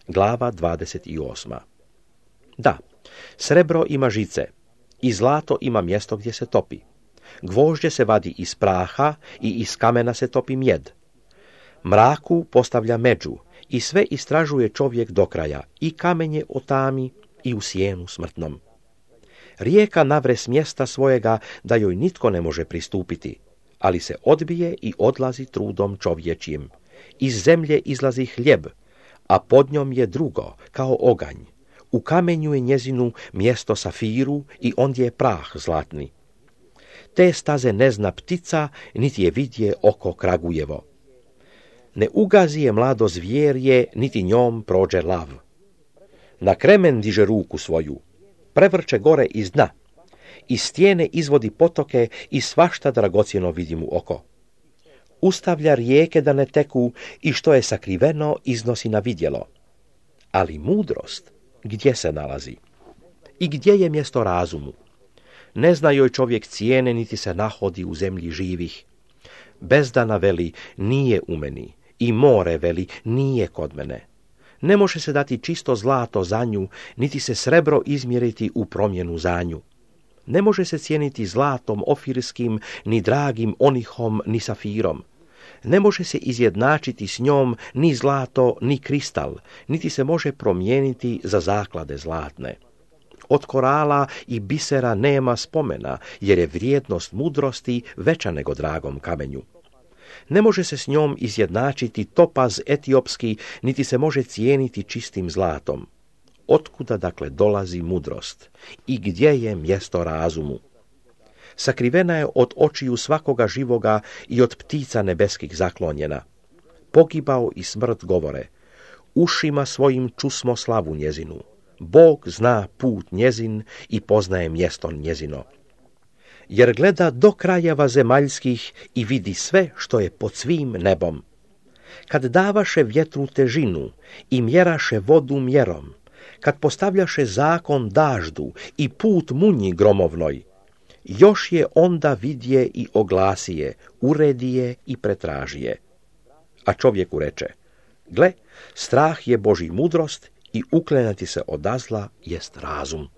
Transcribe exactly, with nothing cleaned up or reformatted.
Glava dvadeset osma. Da, srebro ima žice i zlato ima mjesto gdje se topi. Gvožđe se vadi iz praha i iz kamena se topi mjed. Mraku postavlja među i sve istražuje čovjek do kraja, i kamenje otami i u sjenu smrtnom. Rijeka navre s mjesta svojega da joj nitko ne može pristupiti, ali se odbije i odlazi trudom čovječjim. Iz zemlje izlazi hljeb, a pod njom je drugo, kao oganj. U kamenju je njezinu mjesto safiru i ondje je prah zlatni. Te staze ne zna ptica, niti je vidje oko kragujevo. Ne ugazi je mlado zvjerje, niti njom prođe lav. Na kremen diže ruku svoju, prevrće gore iz dna, iz stijene izvodi potoke i svašta dragocjeno vidi mu oko. Ustavlja rijeke da ne teku i što je sakriveno iznosi na vidjelo. Ali mudrost gdje se nalazi? I gdje je mjesto razumu? Ne zna joj čovjek cijene, niti se nahodi u zemlji živih. Bezdana veli, nije u meni, i more veli, nije kod mene. Ne može se dati čisto zlato za nju, niti se srebro izmjeriti u promjenu za nju. Ne može se cijeniti zlatom ofirskim, ni dragim onihom, ni safirom. Ne može se izjednačiti s njom ni zlato, ni kristal, niti se može promijeniti za zaklade zlatne. Od korala i bisera nema spomena, jer je vrijednost mudrosti veća nego dragom kamenju. Ne može se s njom izjednačiti topaz etiopski, niti se može cijeniti čistim zlatom. Otkuda dakle dolazi mudrost i gdje je mjesto razumu? Sakrivena je od očiju svakoga živoga i od ptica nebeskih zaklonjena. Pogibao i smrt govore, ušima svojim čusmo slavu njezinu. Bog zna put njezin i poznaje mjesto njezino. Jer gleda do krajeva zemaljskih i vidi sve što je pod svim nebom. Kad davaše vjetru težinu i mjeraše vodu mjerom, kad postavljaše zakon daždu i put munji gromovnoj, još je onda vidje i oglasije, uredije i pretražije. A čovjeku reče, gle, strah je Božji mudrost i uklenati se od zla jest razum.